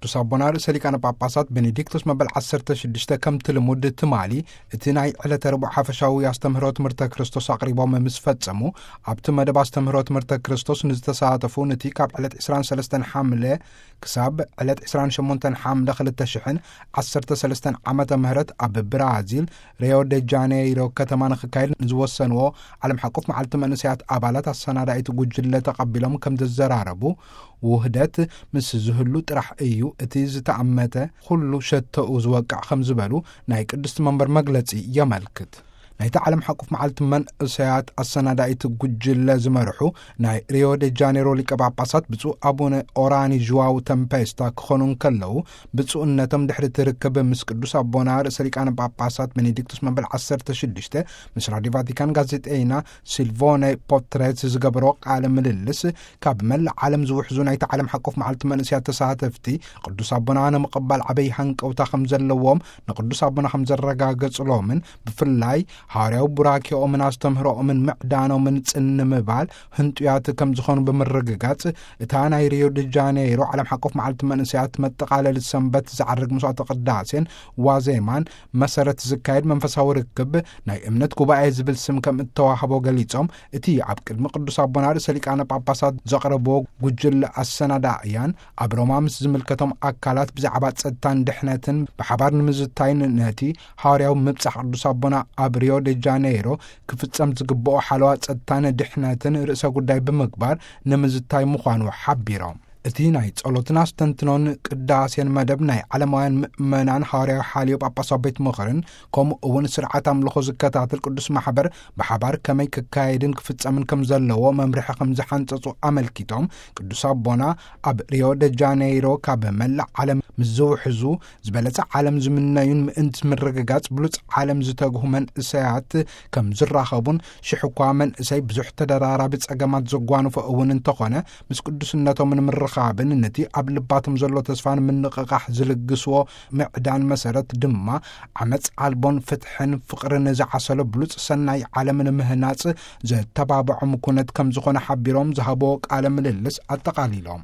ቅዱስ ኣቦና ርእሰ ሊቃነ ጳጳሳት ቤኔዲክቶስ መበል ዓሰርተ ሽዱሽተ ከምቲ ልሙድ ትማሊ እቲ ናይ ዕለተ ረቡዕ ሓፈሻዊ ኣስተምህሮ ትምህርተ ክርስቶስ ኣቕሪቦም ምስ ፈጸሙ፣ ኣብቲ መደብ ኣስተምህሮ ትምህርተ ክርስቶስ ንዝተሳተፉ፣ ነቲ ካብ ዕለት ዕስራን ሰለስተን ሓምለ ክሳብ ዕለት ዕስራን ሸሞንተን ሓምለ ክልተ ሽሕን ዓሰርተ ሰለስተን ዓመተ ምህረት ኣብ ብራዚል ሪዮ ደ ጃኔይሮ ከተማ ንክካየድ ንዝወሰንዎ ዓለም ሓቆፍ መዓልቲ መንእሰያት ኣባላት ኣሰናዳኢት ጉጅለ ተቐቢሎም ከም ዘዘራረቡ፣ ውህደት ምስ ዝህሉ ጥራሕ እዩ እቲ ዝተኣመተ ኩሉ ሸቶኡ ዝወቅዕ ከም ዝበሉ ናይ ቅድስቲ መንበር መግለጺ የመልክት። ናይቲ ዓለም ሓቆፍ መዓልቲ መንእሰያት ኣሰናዳኢት ጉጅለ ዝመርሑ ናይ ሪዮ ደ ጃኔሮ ሊቀ ጳጳሳት ብፁዕ ኣቡነ ኦራኒ ዥዋው ተምፔስታ ክኾኑ እንከለዉ፣ ብፁዕነቶም ድሕሪ እቲ ርክብ ምስ ቅዱስ ኣቦና ርእሰ ሊቃነ ጳጳሳት ቤኔዲክቶስ መበል ዓሰርተ ሽዱሽተ ምስ ራዲዮ ቫቲካን ጋዜጠይና ሲልቮነ ፖትሬት ዝገበሮ ቃለ ምልልስ፣ ካብ መላእ ዓለም ዝውሕዙ ናይቲ ዓለም ሓቆፍ መዓልቲ መንእሰያት ተሳተፍቲ፣ ቅዱስ ኣቦና ንምቕባል ዓበይ ሃንቀውታ ከም ዘለዎም ንቅዱስ ኣቦና ከም ዘረጋገጽሎምን፣ ብፍላይ ሃዋርያዊ ቡራኬኦምን ኣስተምህሮኦምን ምዕዳኖምን ጽን ንምባል ህንጡያት ከም ዝኾኑ ብምርግጋጽ፣ እታ ናይ ሪዮ ደ ጃኔይሮ ዓለም ሓቆፍ መዓልቲ መንእሰያት መጠቓለሊ ሰንበት ዝዓርግ መስዋዕተ ቅዳሴን ዋዜማን መሰረት ዝካየድ መንፈሳዊ ርክብ ናይ እምነት ጉባኤ ዝብል ስም ከም እተዋህቦ ገሊጾም፣ እቲ ኣብ ቅድሚ ቅዱስ ኣቦና ርእሰ ሊቃነ ጳጳሳት ዘቕረብዎ ጉጅለ ኣሰናዳእያን ኣብ ሮማ ምስ ዝምልከቶም ኣካላት ብዛዕባ ጸጥታን ድሕነትን ብሓባር ንምዝታይን፣ ነቲ ሃዋርያዊ ምብጻሕ ቅዱስ ኣቦና ኣብ ሪዮ ደ ጃኔይሮ ክፍጸም ዝግብኦ ሓለዋ ጸጥታን ድሕነትን ርእሰ ጉዳይ ብምግባር ንምዝታይ ምዃኑ ሓቢሮም። እቲ ናይ ጸሎትን ኣስተንትኖን ቅዳሴን መደብ ናይ ዓለማውያን ምእመናን ሃዋርያዊ ሓልዮ ጳጳሳዊ ቤት ምኽርን፣ ከምኡ እውን ስርዓት ኣምልኾ ዝከታተል ቅዱስ ማሕበር ብሓባር ከመይ ክካየድን ክፍጸምን ከም ዘለዎ መምርሒ ከም ዝሓንጸጹ ኣመልኪቶም፣ ቅዱስ ኣቦና ኣብ ሪዮ ደ ጃኔይሮ ካብ መላእ ዓለም ምስ ዝውሕዙ፣ ዝበለጸ ዓለም ዝምነዩን ምእንቲ ምርግጋጽ ብሉጽ ዓለም ዝተግሁ መንእሰያት ከም ዝራኸቡን፣ ሽሕ እኳ መንእሰይ ብዙሕ ተደራራቢ ጸገማት ዘጓንፎ እውን እንተኾነ፣ ምስ ቅዱስነቶም ንምርኻብን ነቲ ኣብ ልባቶም ዘሎ ተስፋ ንምንቕቓሕ ዝልግስዎ ምዕዳን መሰረት ድማ ዓመጽ ኣልቦን ፍትሕን ፍቕርን ዝዓሰሎ ብሉጽ ሰናይ ዓለም ንምህናጽ ዘተባብዖም ኩነት ከም ዝኾነ ሓቢሮም ዝሃብዎ ቃለ ምልልስ ኣጠቓሊሎም።